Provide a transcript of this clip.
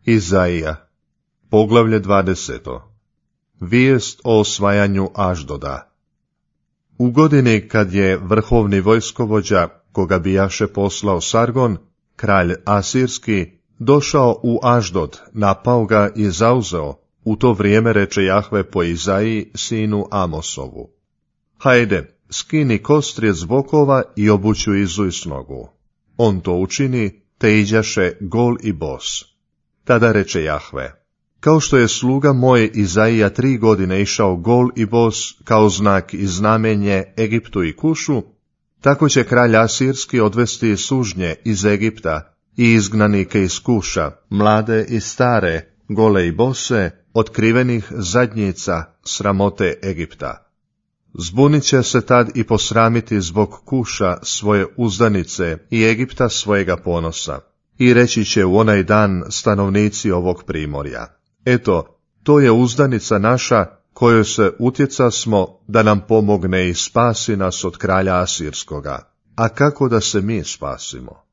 Izaija, poglavlje 20. Vijest o osvajanju Aždoda. U godini kad je vrhovni vojskovođa, koga bijaše poslao Sargon, kralj Asirski, došao u Aždod, napao ga i zauzeo, u to vrijeme reče Jahve po Izaiji, sinu Amosovu: Hajde, skini kostrijet s bokova i obuću Izu s nogu. On to učini, te iđaše gol i bos. Tada reče Jahve: kao što je sluga moj Izaija 3 godine išao gol i bos kao znak i znamenje Egiptu i Kušu, tako će kralj Asirski odvesti sužnje iz Egipta i izgnanike iz Kuša, mlade i stare, gole i bose, otkrivenih zadnjica sramote Egipta. Zbunit će se tad i posramiti zbog Kuša svoje uzdanice i Egipta svojega ponosa. I reći će u onaj dan stanovnici ovog primorja: eto, to je uzdanica naša, kojoj se utjecasmo da nam pomogne i spasi nas od kralja Asirskoga. A kako da se mi spasimo?